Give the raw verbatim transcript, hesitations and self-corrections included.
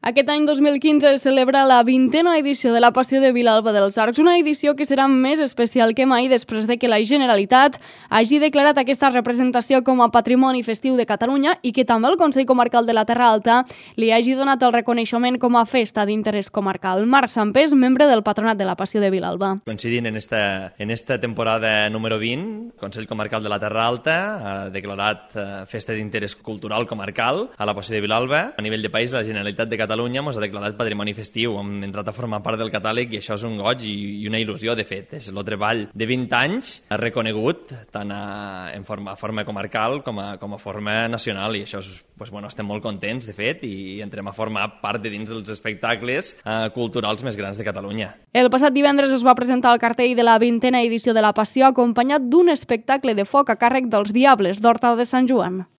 Aquest any dos mil quinze es celebra la vintena edició de la Passió de Vilalba dels Arcs, una edició que serà més especial que mai després de que la Generalitat hagi declarat aquesta representació com a Patrimoni Festiu de Catalunya i que també el Consell Comarcal de la Terra Alta li hagi donat el reconeixement com a festa d'interès comarcal. Marc Sampés, membre del Patronat de la Passió de Vilalba. Coincidint en esta, en esta temporada número vint, el Consell Comarcal de la Terra Alta ha declarat eh, festa d'interès cultural comarcal a la Passió de Vilalba. A nivell de país, la Generalitat de Catalunya ens ha declarat patrimoni festiu, hem entrat a formar part del catàleg i això és un goig i, i una il·lusió, de fet. És el treball de vint anys reconegut tant a, en forma, a forma comarcal com a, com a forma nacional i això és, pues, bueno, estem molt contents, de fet, i entrem a formar part de dins dels espectacles eh, culturals més grans de Catalunya. El passat divendres es va presentar el cartell de la vintena edició de la Passió acompanyat d'un espectacle de foc a càrrec dels Diables d'Horta de Sant Joan.